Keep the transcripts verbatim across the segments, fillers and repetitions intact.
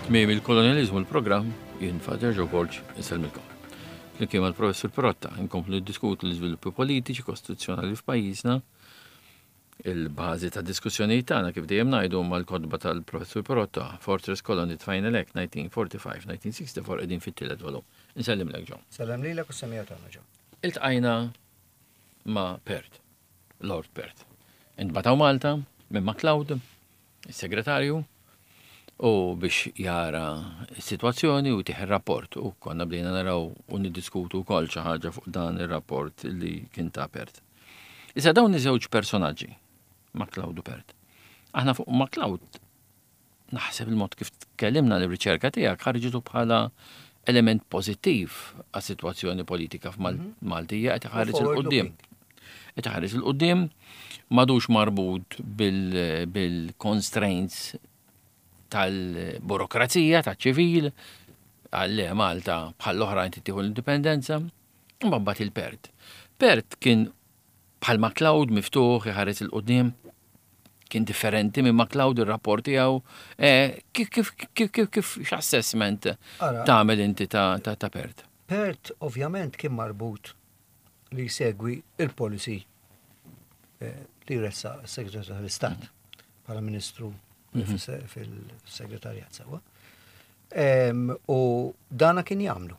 Tmiem il-kolonializmu l-programm, jien Father Joe Borg, insellmilkom. Flimkien mal-Professur Pirotta, nkomplu niddiskutu l-iżviluppi politiċi, kostituzzjonali f'pajjiżna. Il-bażi ta' diskussjoni tagħna, kif dejjem ngħidu, mal-kotba tal-Professur Pirotta, Fortress Colony Final Act elf disa' mija u erbgħa u erbgħin-elf disa' mija u sitta u erbgħin, qegħdin fit-tielet volum. Insellimlek, Joe. Sellem lilek u semija tagħna, Joe. Iltqajna ma' Perth, Lord Perth. Intbagħat Malta minn MacLeod, il-segretarju, u biex jara s-situazzjoni u jtih il-rapport. U konna bdejna naraw u niddiskutu wkoll xi ħaġa fuq dan il-rapport li kien ta' Perth. Issa dawn iż-żewġ personaġġi, MacLeod u Perth. Aħna fuq MacLeod naħseb il-mod kif tkellimna, l-riċerka tiegħek ħarġitu bħala element pożittiv għas-sitwazzjoni politika f'Maltija, qed iħares 'il quddiem. Qed iħares 'il quddiem, m'għadux marbut bil-constraints tal-burokrazija, tal-ċivil, għalle Malta bħall-oħrajn tieħu l-indipendenza, mbagħad il-Perth. Perth kien bħal MacLeod, miftuħ, iħares 'il quddiem, kien differenti minn MacLeod il-rapport tiegħu. Eh, kif kif kif kif kif x'assessment tagħmel inti ta' ta' ta' Perth? Perth ovvjament kien marbut li jsegwi il-policy eh, li ressa s-Segretarju tal-Istat bħala Ministru mhm. fil-Segretarjat sewwa. U dana kien jagħmlu.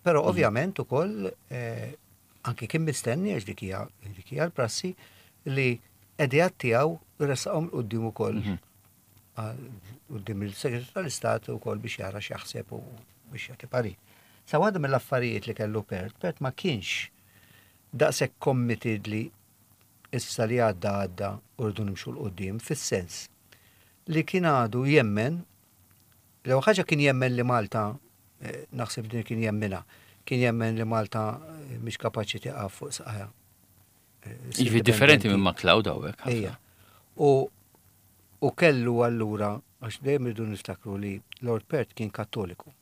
Però mhm. ovvjament ukoll eh, anki kien mistenni, għax dik hija l-prassi, li ideat tiegħu ressaqhom quddiem ukoll mhm. quddiem il-Segretarju tal-Istat ukoll biex jara x'jaħseb u biex jagħti parir. Sa waħda mill-affarijiet li kellu Perth, Perth ma kienx daqshekk committed li issa li għadda għadda u rridu nimxu 'l quddiem, fis-sens li kien għadu jemmen, l ħaġa kien jemmen li Malta, eh, naħseb din kien jemmina, kien jemmen li Malta eh, mhix kapaċi tieqaf fuq saqajha. Eh, Jiġifieri differenti minn MacLeod hawnhekk. Ejja. U u kellu allura, għax dejjem irridu niftakru li Lord Perth kien Kattoliku.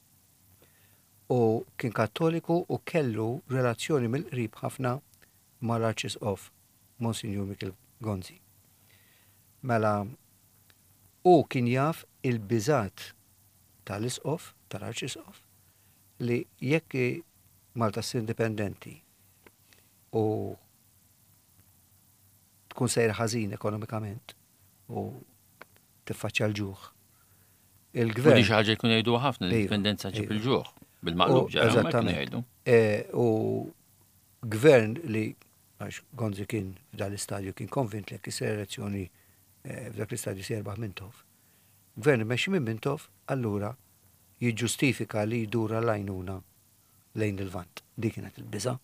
U kien Kattoliku u kellu relazzjoni mill-qrib ħafna mal-Arċisqof Monsignor Michael Gonzi. Mela, u kien jaf il-biżat tal-isqof, tal-Arċisqof, li jekk Malta ssir indipendenti u tkun sejra ħażin ekonomikament u tiffaċċja l-ġuħ. Il-gvern. Xi ħaġa jkun jgħidu ħafna, l-indipendenza ġib iva. il-ġuħ. Bil-maqlub ġara, eżattament. Jgħidu. E, u gvern li, għax Gonzi kien f'dal-istadju kien konvint li jekk elezzjoni e, f'dak l-istadju se jerbaħ Mintoff. Gvern imexxi minn Mintoff, allura jiġġustifika li jdura l-għajnuna lejn il-Lvant. Dik kienet il-biża.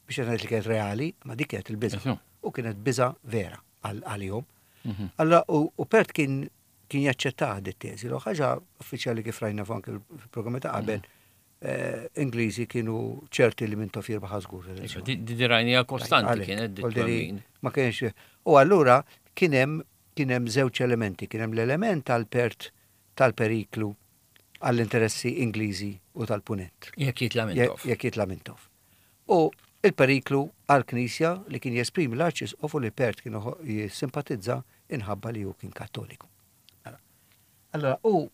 Biex ngħid li kienet reali, ma dik kienet il-biża. U kienet biża vera għalihom. Mhm. Allora, u Perth kien kien jaċċettaha dit-teżi. L ħaġa uffiċjali, kif rajna anke fil-programmi ta' qabel, eh, Ingliżi kienu ċerti li Mintoff jirbaħ żgur. Di rajnija kostanti kienet. Ma kienx. U allura kien hemm kien hemm żewġ elementi, kien hemm l-element tal-Perth tal-periklu għall-interessi Ingliżi u tal-Punent. Jekk jitla Mintoff. Jekk jitla Mintoff. U il-periklu għal-Knisja li kien jesprimi l-Arċisqof u li Perth kienu jissimpatizza inħabba li hu kien Kattoliku. Allora, u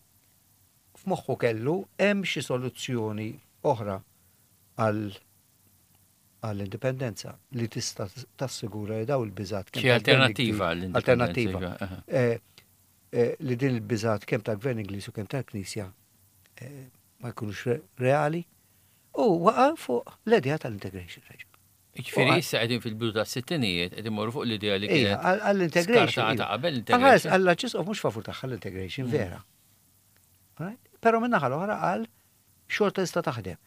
f'moħħu kellu hemm xi soluzzjoni oħra għal għall-indipendenza li tista' tassigura li daw il-biżat Xi alternattiva. Alternattiva. Eh, eh, li din il-biżat kemm tal-Gvern Ingliż u kemm tal-Knisja eh, ma jkunux reali u waqa' fuq l-idea tal-integration. Ġifieri issa qegħdin fil-bidu tas-sittinijiet, qegħdin morru fuq l-idea li kienet għall-integration. Qabel. Integration. Għall-Arċisqof mhux favur tagħha l-integration, mm. vera. Però min-naħa l-oħra qal xorta tista' taħdem.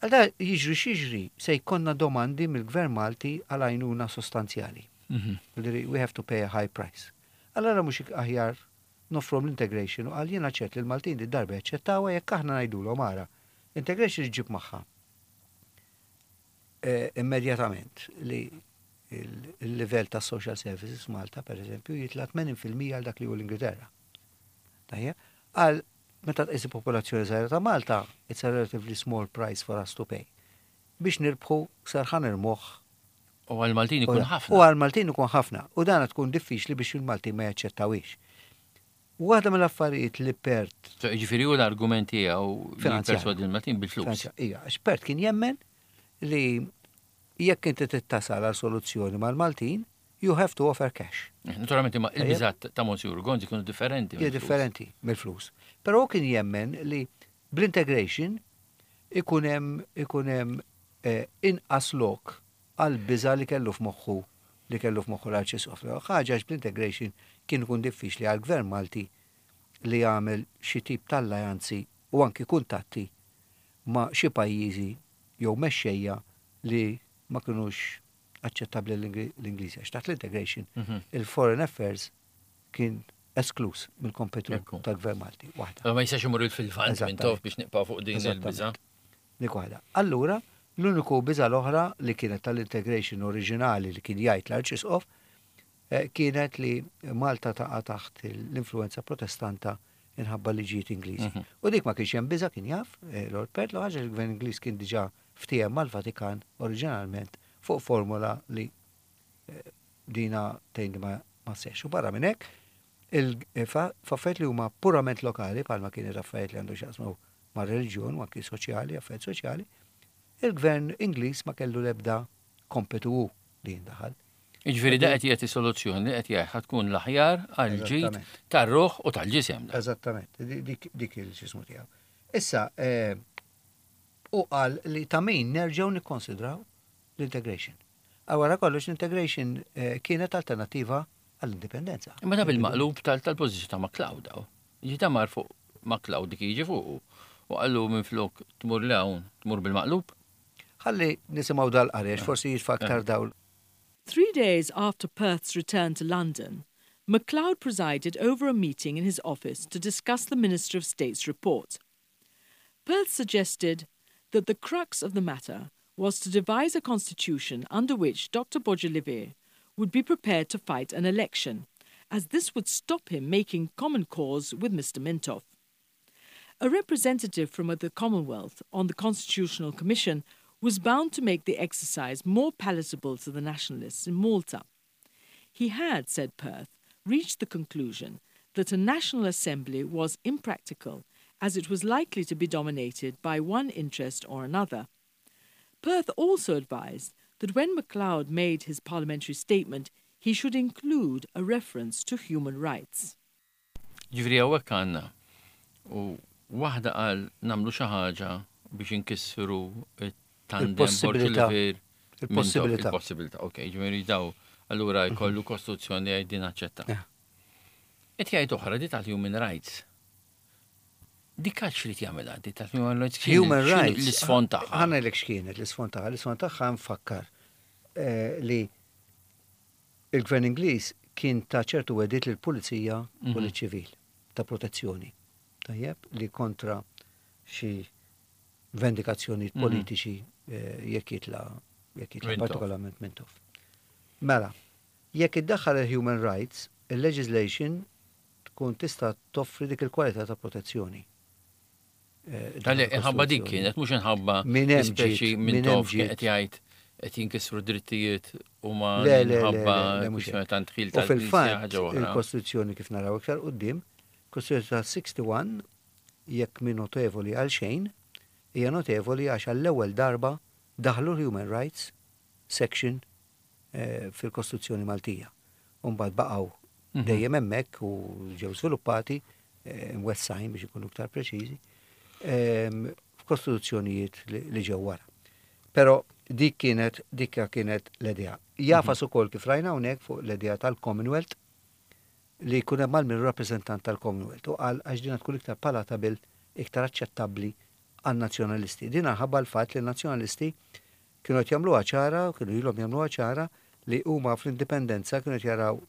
Għal jiġri x'jiġri se jkollna domandi mill-Gvern Malti għal għajnuna sostanzjali. Mhm. We have to pay a high price. Allora mhux aħjar noffrom l-integration? U qal, jiena ċert li l-Maltin di darba jaċċettawha jekk aħna ngħidulhom, ara, integration ġib magħha eh, immedjatament li il-livell ta' social services Malta, per eżempju, jitla tmenin fil-mija għal dak li hu l-Ingilterra. Tajjeb, għal meta tqis il-popolazzjoni żgħira ta' Malta, it's a relatively small price for us to pay. Biex nirbħu serħan il-moħħ. U għal-Maltin ikun ħafna. U għal-Maltin ikun ħafna. U dan tkun diffiċli biex il-Maltin ma jaċċettawix. Waħda mill-affarijiet li Perth Ġifieri hu l-argument tiegħu li Finanzjarju. perswadi l-Maltin bil-flus. Ija, għax Perth kien jemmen li jekk inti tittasal għal soluzzjoni mal-Maltin, you have to offer cash. Naturalment imma il-biżat ta' Monsignor Gonzi kienu differenti. Hija mill-flus. differenti mill-flus. Però kien jemmen li bl-integration ikun hemm ikun hemm eh, inqas lok għal biża li kellu f'moħħu li kellu f'moħħu l-Arċisqof. Ħaġa għax bl-integration kien ikun diffiċli għal gvern Malti li jagħmel xi tip tal-alleanzi u anki kuntatti ma' xi pajjiżi jew mexxejja li ma kinux aċċettabbli l-Ingliżi. Għax taħt l-integration Mhm. il-foreign affairs kien esklus mill-kompetu Ekku. tal-gvern Malti. Waħda. Ma jistax imur fil-Lvant minn Eżattament. tof biex nibqa' fuq din il-biża. Eżattament. Dik waħda. Allura, l-uniku biża l-oħra li kienet tal-integration oriġinali li kien jgħid l-Arċisqof eh, kienet li Malta taqa' taħt l-influenza protestanta inħabba liġijiet Ingliżi. Mhm. U dik ma kienx hemm biża kien jaf, eh, Lord Perth, l ħaġa li l-gvern Ingliż kien diġà ftiehem mal-Vatikan oriġinalment fuq formula li eh, dina tgħin li ma ma sex. U barra minn hekk, il- fa- f'affarijiet li huma purament lokali, bħalma kienet affarijiet li għandu x'jaqsmu ma' reliġjon u anki soċjali, affarijiet soċjali, il-gvern Ingliż ma kellu l-ebda kompetu hu li jindaħal. Jiġifieri da qed jagħti soluzzjoni li qed jgħid ħa tkun l-aħjar għal ġid Eżattament. tar-ruħ u tal-ġisem. da. Eżattament, di- dik dik il-xismu tiegħu. Issa, eh, u qal li ta' min nerġgħu nikkonsidraw l-integration. Għawara kollox l-integration eh, kienet alternativa għall-indipendenza. Imma da bil-maqlub tal- tal-pożizzjoni ta' MacLeod daw. Ġi ta' mar fuq MacLeod dik jiġi fuq. U qallu minn flok tmur 'l hawn, tmur bil-maqlub. Ħalli nisimgħu dal-qari, għax forsi jitfa' aktar dawl. Three days after Perth's return to London, MacLeod presided over a meeting in his office to discuss the Minister of State's report. Perth suggested that the crux of the matter was to devise a constitution under which Dr. Borg Olivier would be prepared to fight an election, as this would stop him making common cause with Mr. Mintoff. A representative from the Commonwealth on the Constitutional Commission was bound to make the exercise more palatable to the nationalists in Malta. He had, said Perth, reached the conclusion that a National Assembly was impractical as it was likely to be dominated by one interest or another. Perth also advised that when MacLeod made his parliamentary statement, he should include a reference to human rights. Ġifieri hawnhekk għandna. U waħda qal nagħmlu xi ħaġa biex inkissru it-tandem Il-possibilità. Il-possibilità. Il-possibilità, ok, ġifieri daw allura jkollu kostituzzjoni għaj din aċċetta. Yeah. Et jgħid oħra di tal-human rights. Dik għax li jagħmilha, di tal-human rights. x'inhu- Human x'inhu rights. L-isfond tagħha. Ħa ngħidlek x'kienet l-isfond tagħha. L-isfond tagħha nfakkar eh, li il-gvern Ingliż kien ta' ċertu wegħdiet lill-pulizija u Mhm. liċ-ċivil ta' protezzjoni. Tajjeb li kontra xi vendikazzjoni Mhm. politiċi eh, jekk jitla jekk jitla Mintoff. partikolarment Mintoff. Mela, jekk iddaħħal il-human rights, il-legislation tkun tista' toffri dik il-kwalità ta' protezzjoni. Eh, Għalli, inħabba dik il-Kostituzzjoni. kienet, mhux inħabba Min hemm speċi ġiet, minn min hemm tof kien ġiet. qed jgħid qed jinkisru drittijiet u ma Le, le, le, inħabba le, le, mhux kwistjoni hekk. ta' ndħil U tal-Knisja fil-fatt, ħaġa oħra. il-Kostituzzjoni kif naraw iktar quddiem, Kostituzzjoni ta' wieħed u sebgħin jekk min notevoli għal xejn, hija notevoli għax għall-ewwel darba daħlu l-Human Rights section eh, fil-Kostituzzjoni Maltija. Umbagħad baqgħu Mhm. dejjem hemmhekk u ġew sviluppati eh, mwessajn biex ikunu iktar preċiżi ehm, f'kostituzzjonijiet li li ġew wara. Però dik kienet dik kienet l-idea. Jafas ukoll kif rajna hawnhekk fuq l-idea tal-Commonwealth li jkun hemm mal rappreżentant tal-Commonwealth u qal għax dina tkun iktar palatabil, iktar aċċettabbli għan-nazzjonalisti. Din ħabba l-fatt li n-nazzjonalisti kienu qed jagħmluha ċara, kienu ilhom jagħmluha ċara li huma fl-indipendenza kienu qed jaraw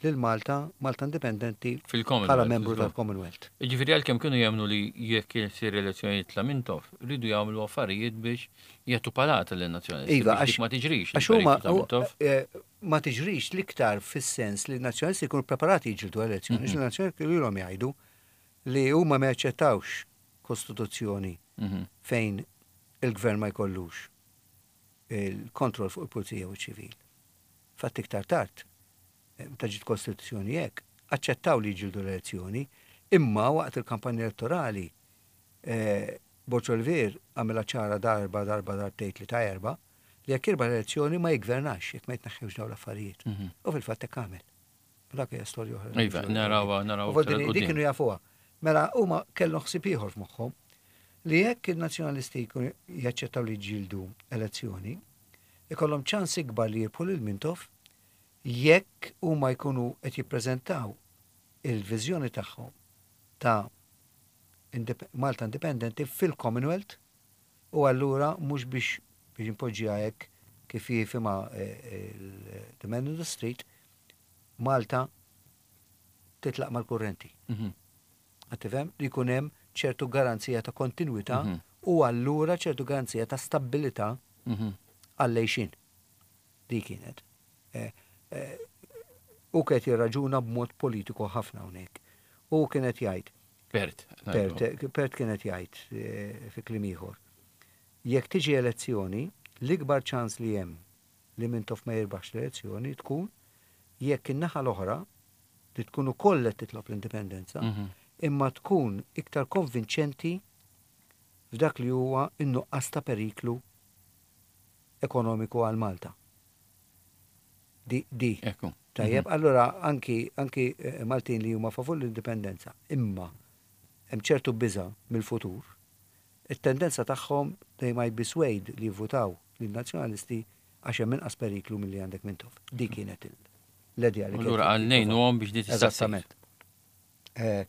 lil Malta, Malta indipendenti Fil-Commonwealth, bħala membru żgur. tal-Commonwealth. Ġifieri għalkemm kienu jemmnu li jekk isir elezzjonijiet ta' Mintoff, rridu jagħmlu affarijiet biex jagħtu palata lin-nazzjonalisti. Iva, biex dik għax ma tiġrix. Għax huma il-periklu ta' Mintoff. eh, ma tiġrix l-iktar fis-sens li n-nazzjonalisti jkunu preparati jiġġieldu elezzjoni. Mm N-nazzjonalisti kienu ilhom jgħidu li huma ma jaċċettawx kostituzzjoni Mhm. fejn il-gvern ma jkollux il-kontroll fuq il-pulizija u ċ-ċivil. Fatt iktar tard, eh, meta ġiet kostituzzjoni hekk, Aċċettaw li jġildu l-elezzjoni, imma waqt il-kampanja elettorali eh, Borg Olivier għamilha ċara darba, darba, darbtejn li ta' erba, li jekk jirbaħ l-elezzjoni ma jgvernax, jekk ma jitneħħewx dawn l-affarijiet. Mhm. U fil-fatt hekk għamel. Dak hija storja oħra. Iva, narawha, narawha U aktar dik 'il quddiem. kienu jafuha. Mela huma kellhom ħsieb ieħor f'moħħhom li jekk il-nazzjonalisti jkunu jaċċettaw li jġildu elezzjoni, ikollhom ċans ikbar li jirbħu lil Mintoff jekk huma jkunu qed jippreżentaw il-viżjoni tagħhom ta' indip- Malta Independenti fil-Commonwealth u allura mhux biex biex impoġġiha hekk kif jifhimha eh, il- the man in the street, Malta titlaq mal-kurrenti. Mhm. Qed tifhem li jkun hemm ċertu garanzija ta' kontinuità Mhm. u allura ċertu garanzija ta' stabilità Mhm. għall-għejxien. Di kienet. Eh, eh, U kienet jirraġuna b'mod politiku ħafna hawnhekk. U kienet jgħid, Perth. Perth, Perth kienet jgħid eh, fi kliem ieħor. Jekk tiġi elezzjoni, l-ikbar ċans li hemm li Mintoff ma jirbaħx l-elezzjoni tkun jekk in-naħa l-oħra li tkun ukoll qed titlob l-indipendenza, Mhm. imma tkun iktar konvinċenti f'dak li huwa in-nuqqas ta' periklu ekonomiku għal Malta. Di, di. Ekku. Tajjeb, allora anki, anki eh, Maltin li huma favur l-indipendenza, imma hemm ċertu biża mill-futur, it-tendenza tagħhom they might be swayed li jivvutaw lin-nazzjonalisti għax hemm inqas periklu milli għandek Mintoff. Di kienet il- l-idea li Allura kienet għal ngħinuhom biex di tista' Eżattament. Eh,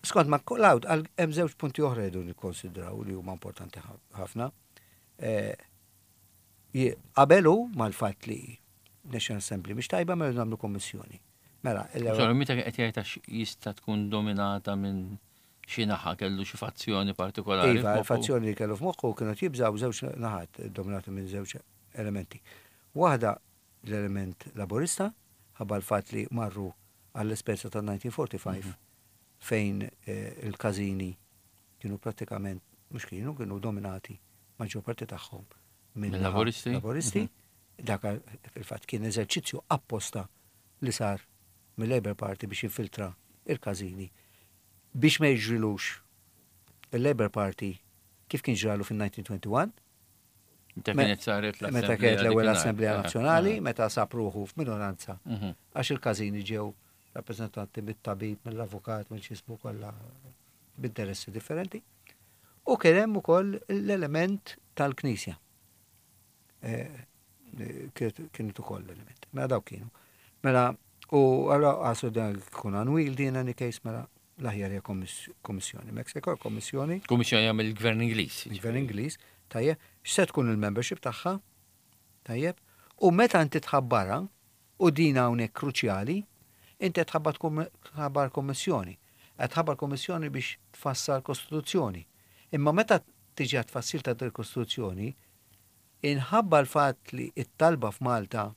Skont MacLeod, għal hemm żewġ punti oħra jridu nikkonsidraw li huma importanti ħa- ħafna. Eh, je- Qabelu mal-fatt li National Assembly mhix tajba mela nagħmlu kommissjoni. Mela, l- Sorry, meta qed jgħid għax jista' tkun dominata minn xi naħa kellu xi fazzjoni partikolari. Iva, f'moħħu. il-fazzjoni li kellu f'moħħu kienu jibżaw żewġ naħat dominati minn żewġ elementi. Waħda l-element laborista, ħabba l-fatt li marru għall-esperjenza ta' elf disa' mija u erbgħa u erbgħin fejn eh, il-każini kienu prattikament, mhux kienu, kienu dominati maġġor parti tagħhom minn Minn naħa laboristi? Laboristi. Dak fil-fatt kien eżerċizzju apposta li sar mill-Labour Party biex jinfiltra il-każini biex ma jiġrilux il-Labour Party kif kien ġralu fil-elf disa' mija u wieħed u għoxrin Meta Me- kienet saret l meta kienet l-ewwel Assemblea Nazzjonali, Eh, meta sab ruħu f'minoranza Mhm. għax il-każini ġew rappreżentanti mit-tabib, mill-avukat, mill-xismu kollha b'interessi differenti. U kien hemm ukoll l-element tal-Knisja. Eh, eh, Kienet kienet ukoll l-element. Mela daw kienu. Mela, u għallura għasu dan kun unwieldy in any case, mela l-aħjar hija kommiss- kommissjoni. Mek se jkollok kommissjoni, Kummissjoni mill-Gvern Ingliż. il-Gvern Ingliż, tajjeb, x'se tkun il-membership tagħha, tajjeb, u meta inti tħabbarha, u din hawnhekk kruċjali, inti tħabbar tħabbar kommissjoni. Qed tħabbar kommissjoni biex tfassal kostituzzjoni. Imma meta tiġi għat-tfassil ta' il kostituzzjoni, inħabba l-fatt li it-talba f'Malta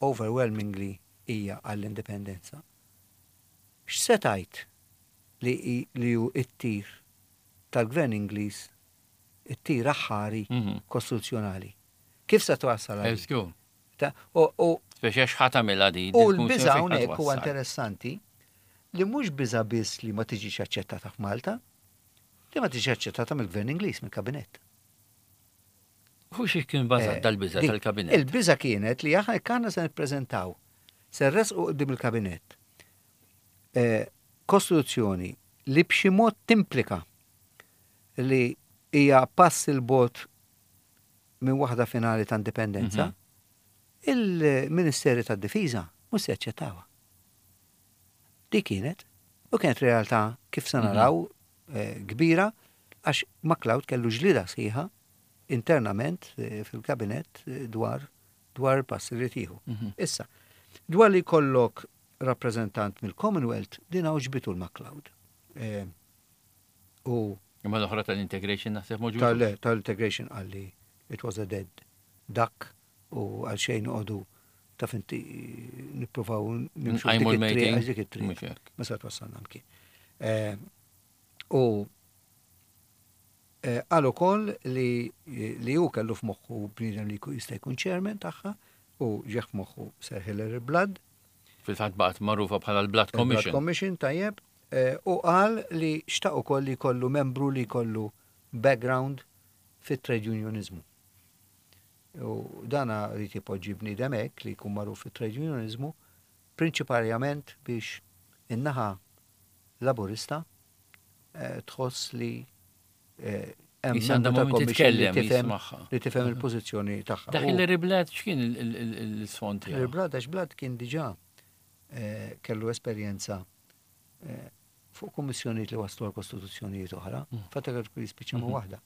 overwhelmingly hija għall-indipendenza. X'se tgħid li i- li hu it-tir tal-Gvern Ingliż, it-tir aħħari Mhm. kostituzzjonali? Kif se twassal għal? Eżgu. Ta' U u- Speċi għax ħa tagħmilha di. u l-biża hawnhekk huwa interessanti li mhux biża biss li ma tiġix aċċettata f'Malta, li ma tiġix aċċettata mill-Gvern Ingliż, mill-Kabinett. Hu xi kien bażat Eh, dal-biża dik, tal-kabinett. Il-biża kienet li aħna kanna se nippreżentaw, se nresqu qudiem il-kabinett. Eh, Kostituzzjoni li b'xi mod timplika li hija pass 'il bogħod minn waħda finali ta' indipendenza, Mhm. il-Ministeri tad-Difiża mhux se jaċċettawha. Di kienet, u kienet realtà kif se Mhm. naraw eh, kbira, għax MacLeod kellu ġlida sħiħa internament eh, fil-kabinett eh, dwar dwar il-passi li tieħu. Mhm. Issa, dwar li kollok rappreżentant mill-Commonwealth, din għoġbitu l-MacLeod. Eh, U Imma l-oħra tal-integration naħseb moġu. tal- tal-integration għalli it was a dead duck u għal xejn għodu ta' finti nippruvaw nimxu Nqajmu dik it-triq, l-meeting. għax dik it-triq. Mhux hekk. Ma se twassalna mkien. Eh, U eh, qal ukoll li li hu kellu f'moħħu bniedem li jkun- jista' jkun chairman tagħha u ġieħ f'moħħu Sir Hilary Blood. Fil-fatt baqgħet magħrufa bħala l-Blood Il-Blood Commission. Commission, tajjeb, eh, u qal li xtaq ukoll li jkollu membru li jkollu background fit-trade unionizmu. U dana ried ipoġġi bniedem hekk li jkun magħruf fit-trade unionizmu, prinċipalment biex in-naħa laburista eh, tħoss li eh, hemm Issa għandha membru moment tal-commission li titkellem, tifhem jismagħha. li tifhem il-pożizzjoni tagħha. Dak U- Hilary Blood, x'kien il- il- il- l-isfond tiegħu? Il-Blood, għax Blood kien diġà eh, kellu esperjenza eh, fuq kummissjonijiet li waslu għal kostituzzjonijiet oħra, Mm. fatta kellu jispiċċa ma' waħda.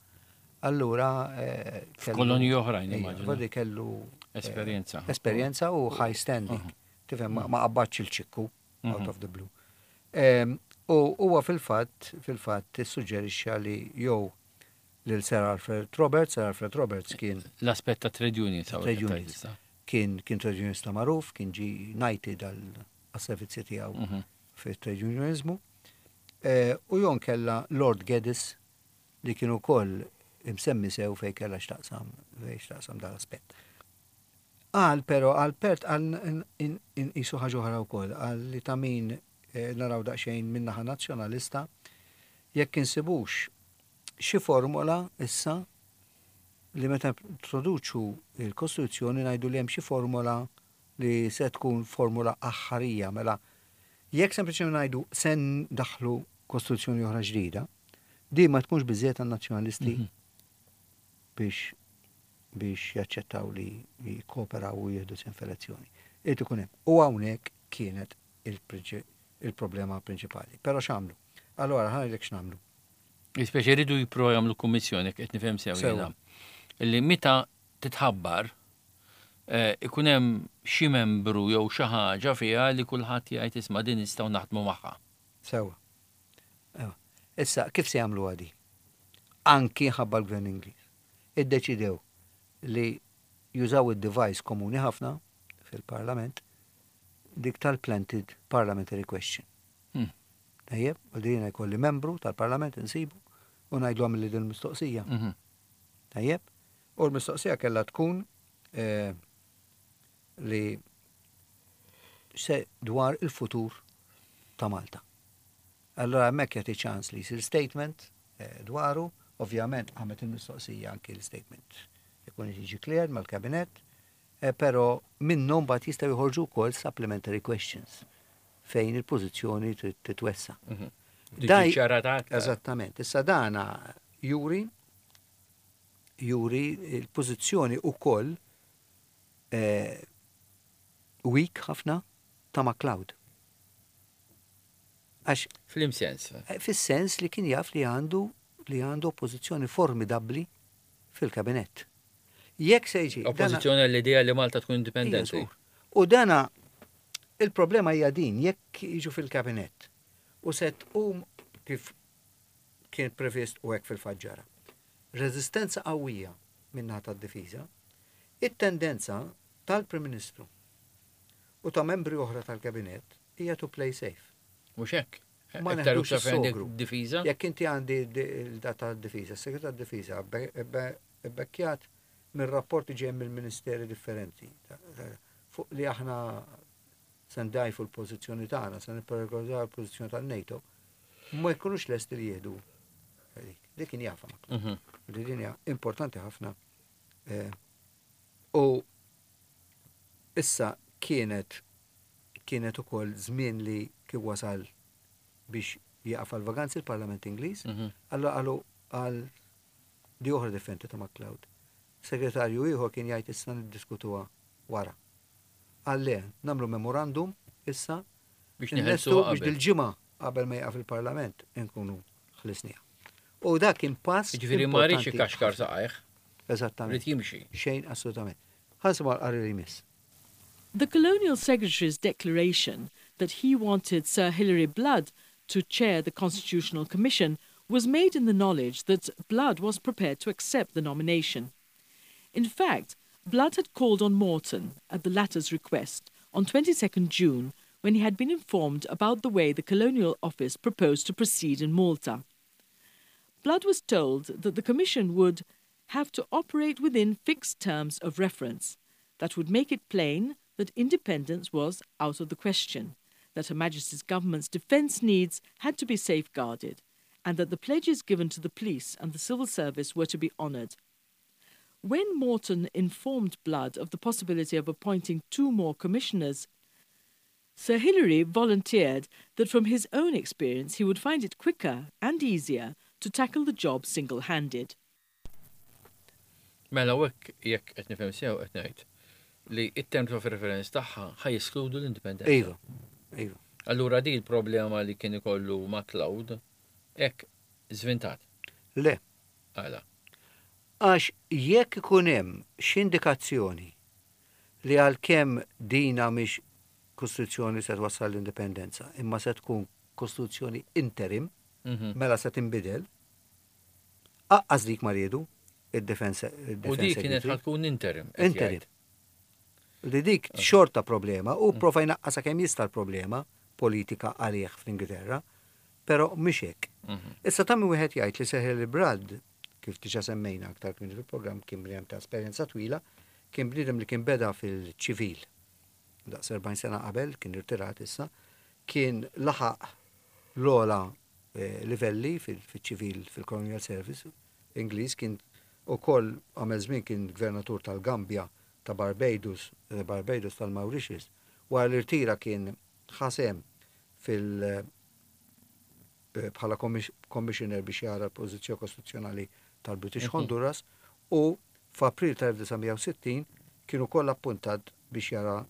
Allura eh, kellu- F'kolonji oħrajn, Ejja, immaġina. Vadi kellu eh, Esperjenza. Esperjenza u high standing. Tifhem, ma ma qabadx il-ċikku out Mhm. of the blue. Em, U huwa fil-fatt, fil-fatt issuġġerixxa li jew lil Sir Alfred Roberts, Sir Alfred Roberts kien L-aspett ta' trade unions. hawnhekk Trade qed unions. tgħid issa. Kien kien trade unionista magħruf, kien ġi knighted għal servizzi tiegħu Mhm. fit-trade unionizmu. Eh, U jon kella Lord Geddes li kien ukoll imsemmi sew fej kella x'taqsam fej x'taqsam dal-aspett. Qal però għal Perth qal inqisu ħaġa oħra wkoll, qal li ta' min eh, naraw daqsxejn min-naħa nazzjonalista jekk insibux xi formola issa li meta introduċu il-Kostituzzjoni ngħidu li hemm xi formola li se tkun formula aħħarija. Mela jekk sempliċement ngħidu se ndaħlu Kostituzzjoni oħra ġdida, di ma tkunx biżejjed għan-nazzjonalisti Mhm. biex biex jaċċettaw li jikkooperaw u jieħdu sehem f'elezzjoni. Irid ikun hemm. U hawnhekk kienet il-prinċi- il-problema prinċipali. Però x'għamlu? Allora ħa ngħidlek x'nagħmlu. Speċi jridu jippruvaw jagħmlu kummissjoni, qed nifhem sew Sew. jiena. Illi meta titħabbar eh, ikun hemm xi membru jew xi ħaġa fiha li kulħadd jgħid, "Isma', din nistgħu naħdmu magħha." Sewa. Ewa. Issa, kif se jagħmlu għadi? Anki ħabba l-gvern Ingliż. Iddeċidew li jużaw id-device komuni ħafna fil-parlament, dik tal-planted parliamentary question. Hmm. Tajjeb, u din jkolli membru tal-parlament insibu u ngħidlu għamil li din mistoqsija. Mhm. Tajjeb, u l-mistoqsija kellha tkun eh, li se dwar il-futur ta' Malta. Allora hemmhekk jagħti ċans li jsir statement eh, dwaru, ovvjament għamet il-mistoqsija anki l-statement ikun jiġi cleared mal-kabinet, eh, però minnhom mbagħad jistgħu joħorġu wkoll supplementary questions fejn il-pożizzjoni trid titwessa. Mhm. Daj- Tiġi ċarata aktar. Eżattament. Issa dana juri juri il-pożizzjoni ukoll eh, weak ħafna ta' MacLeod. Għax F'liema sens. eh, fis-sens li kien jaf li għandu li għandu oppożizzjoni formidabbli fil-kabinett. Jekk se jiġi dana- Oppożizzjoni għall-idea li Malta tkun Ija, indipendenti. żgur. U dana il-problema hija din, jekk jiġu fil-kabinett u se tqum, kif kien previst u hekk fil-fatt ġara, reżistenza qawwija min-naħa tad-difiża, it-tendenza tal-Prim Ministru u ta' membri oħra tal-kabinett hija to play safe. Mhux hekk. Ma Iktar neħdux iktar fejn għandek is-sogru. difiża. Jekk inti għandi il-data tad-difiża, s-segretar tad-difiża bekkjat minn rapporti ġej mill-ministeri differenti ta- ta- fuq li aħna se ndajfu l-pożizzjoni tagħna, se nipperikolaw l-pożizzjoni tan-NATO, ma jkunux lesti li jieħdu dik. Dik kien jafha ma. Mhm. Li din hija importanti ħafna. Eh, U issa kienet kienet ukoll żmien li kif wasal biex jaqaf għal vaganzi l-Parlament Ingliż, Mhm. allora qalu għal di oħra differenti ta' MacLeod. Segretarju ieħor kien jgħid, "Issa niddiskutuha wara." Qal le, nagħmlu memorandum issa Biex nlestu neħelsu biex qabel. dil-ġimgħa qabel ma jaqaf il-Parlament inkunu ħlisniha. U dak kien pass Ġifieri ma rridx importanti ikaxkar ħafna. saqajh, Eżattament. rrid jimxi. Xejn, assolutament. Ħa nisimgħu l-qari li jmiss. The Colonial Secretary's declaration that he wanted Sir Hilary Blood to chair the Constitutional Commission was made in the knowledge that Blood was prepared to accept the nomination. In fact, Blood had called on Morton at the latter's request on twenty-second June when he had been informed about the way the Colonial Office proposed to proceed in Malta. Blood was told that the Commission would have to operate within fixed terms of reference that would make it plain that independence was out of the question, that Her Majesty's government's defence needs had to be safeguarded, and that the pledges given to the police and the civil service were to be honoured. When Morton informed Blood of the possibility of appointing two more commissioners, Sir Hilary volunteered that from his own experience he would find it quicker and easier to tackle the job single-handed. Mela hekk jekk qed nifhem sew qed ngħid li it-terms of reference tagħha ħa jeskludu l-indipendenza. Iva, iva. Allura di l-problema li kien ikollu MacLeod hekk żvintat. Le. Għala. Għax jekk ikun hemm xi indikazzjoni li għalkemm dina mhix kostituzzjoni se twassal l-indipendenza, imma se tkun kostituzzjoni interim, Mhm. mela se tinbidel, aqqas dik ma riedu id-defense. U di kienet ħa tkun interim. qed Interim. jgħid. Li dik xorta problema u prova jnaqqasha kemm jista' l-problema politika għalih fl-Ingilterra, però mhix hekk. Mhm. Issa ta' min wieħed jgħid li Sir Hilary Blood, kif diġà semmejna aktar kmieni fil-programm, kien bniedem ta' esperjenza twila, kien bniedem li kien beda fil-ċivil. Daqs erbgħin sena qabel, kien irtirat issa, kien laħaq l-ogħla eh, livelli fil-ċivil fil-Colonial Service Ingliż, kien ukoll għamel żmien kien gvernatur tal-Gambja, ta' Barbados, eh, Barbados tal-Mauritius. Wara l-irtira kien ħa sehem fil- eh, bħala commissioner biex jara l-pożizzjoni kostituzzjonali tal-British Mhm. Honduras u f'April tal-elf disa' mija u sittin kien ukoll appuntat biex jara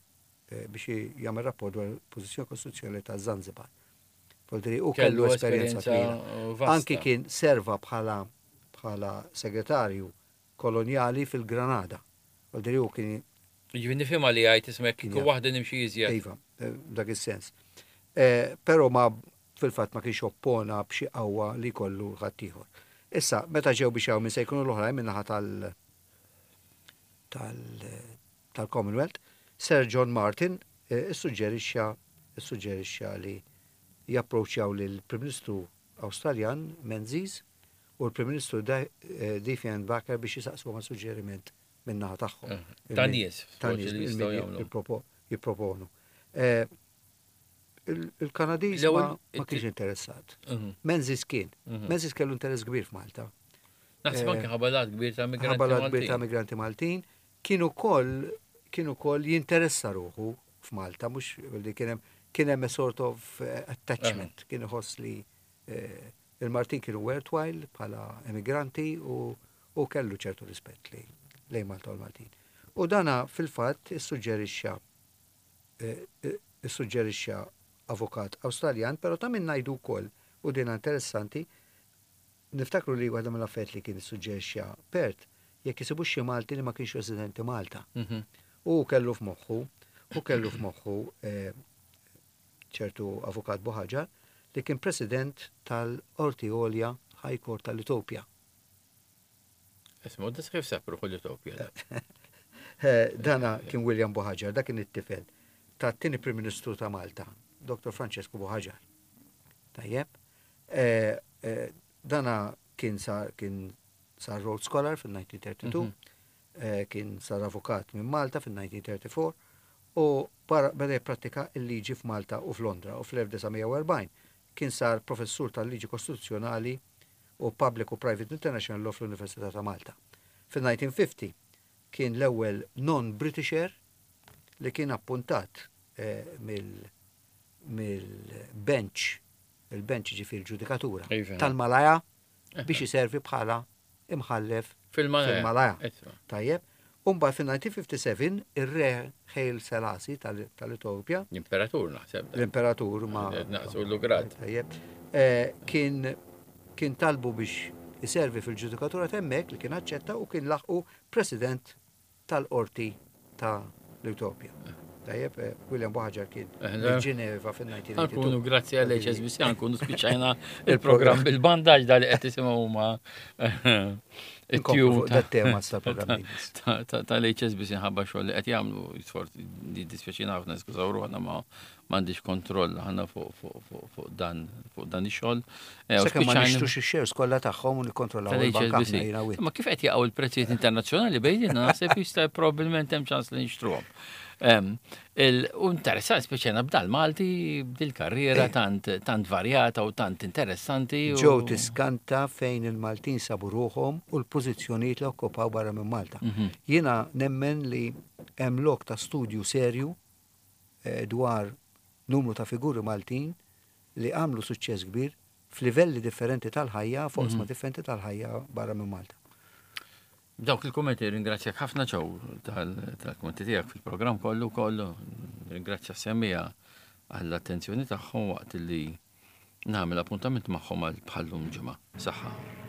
eh, biex jagħmel rapport dwar il-pożizzjoni kostituzzjonali ta' Zanzibar. Voldiri, u kellu esperjenza twila. vasta. Anki kien serva bħala bħala segretarju kolonjali fil-Granada. Voldiri, u kien Ġifieri nifhimha li għajt ismek Kien kieku jaf. waħda nimxi iżjed. Iva, eh, dak is-sens. Eh, Però ma fil-fatt ma kienx oppona b'xi qawwa li kollu ħaddieħor. Issa, meta ġew biex hawn min se jkunu l-oħrajn min-naħa tal tal tal-Commonwealth, Sir John Martin eh, issuġġerixxa issuġġerixxa li japproċċjaw lil Prim Ministru Awstraljan Menzies u l-Prim Ministru Diefenbaker biex jisaqsu ma' suġġeriment min-naħa tagħhom. Eh, ta' nies, Ta' nies forsi li jistgħu jagħmlu. jippropo- jipproponu. Eh, il- Il-Kanadiż L-ewwel- ma ma kienx interessat. Mhm. Menzies kien. Mhm. Menzies kellu interess kbir f'Malta. Naħseb Eh, anke ħabalat kbir ta' migranti Ħabalat kbir ta' Maltin. migranti Maltin, kienu koll kienu koll jinteressa ruħu f'Malta, mhux li kien hemm kien hemm a sort of eh, attachment, kien iħoss li eh, il-Maltin kienu worthwhile bħala emigranti u, u kellu ċertu rispett li lejn Malta u l-Maltin. U dana fil-fatt issuġġerixxa eh, eh, issuġġerixxa avukat Awstraljan, però ta' min ngħidu wkoll u din interessanti, niftakru li waħda mill-affarijiet li kien issuġġerixxa Perth jekk isibu xi Malti li ma kienx residenti Malta. Mhm. U kellu f'moħħu, u kellu f'moħħu eh, ċertu avukat Buhagiar li kien president tal-Qorti Għolja High Court tal-Etopja. Isma, da kif sab ruħu l-Etopja da? Eh, Dana kien William Buhagiar, da kien it-tifel ta' tieni Prim Ministru ta' Malta, Doktor Francesco Buhagiar. Tajjeb. Eh, eh, Dana kien sar kien sar Rhodes Scholar fil-elf disa' mija u tlieta u tletin, Mhm. eh, kien sar avukat minn Malta fil-elf disa' mija u erbgħa u tletin u para beda jipprattika il-liġi f'Malta u f'Londra u fl-elf disa' mija u erbgħin kien sar professur tal-liġi kostituzzjonali u Public u Private International Law fl-Università ta' Malta. Fil-elf disa' mija u ħamsin kien l-ewwel non-Britisher li kien appuntat eh, mill- mill-bench, il-bench ġifieri ġudikatura Iva. tal-Malaja biex iservi bħala imħallef Fil-Malaja. fil-Malaja. Isma. Tajjeb. Umba fil-elf disa' mija u sitta u ħamsin ir-re Haile Selassie tal- tal-Etopja, L-imperatur naħseb. da. l-imperatur ma. Naqsu l-grad. Tajjeb. Eh, Kien kien talbu biex iservi fil-ġudikatura t'hemmhekk li kien aċċetta u kien laħqu president tal-qorti ta' l-Etopja. Tajjeb, eh, William Buhagiar kien Eh, minn Ġeneva fil-elf disa' mija u tnejn u tmenin. Ħa nkunu grazzi għal H S B C, ħa nkunu spiċċajna il-programm bil-bandaġ da li qed tisimgħu huma Inkomplu fuq it-tune dat-tema tal-programm li jmiss. tal-H S B C ħabba xogħol li qed jagħmlu sfort di dispjaċina ħafna, skużaw ruħna, ma M'għandix kontroll aħna fuq fuq fuq fuq dan fuq dan ix-xogħol. Eh, u Sakemm ma spiċċajna- nixtrux ix-shares kollha tagħhom u nikkontrollaw il-bank tal-H S B C. aħna jiena u int. Ma kif qed jaqgħu il-prezzijiet internazzjonali bejnietna, naħseb jista' probabbilment hemm ċans li nixtruhom. Em, il- U interessant, speċjana b'dal-Malti, b'dil-karriera tant tant varjata u tant interessanti. u- Ġew tiskanta fejn il-Maltin sabu ruħhom u l-pożizzjonijiet li okkupaw barra minn Malta. Mhm. Jiena nemmen li hemm lok ta' studju serju eh, dwar numru ta' figuri Maltin li għamlu suċċess kbir f'livelli differenti tal-ħajja, f'oqsma differenti tal-ħajja barra minn Malta. Dawk il-kommenti, ringrazzjak ħafna, Joe, tal-kommenti tiegħek fil-programm kollu kollu. Ringrazzja semmiegħa għall-attenzjoni tagħhom waqt li nagħmel appuntament magħhom għal bħallum ġimgħa. Saħħa.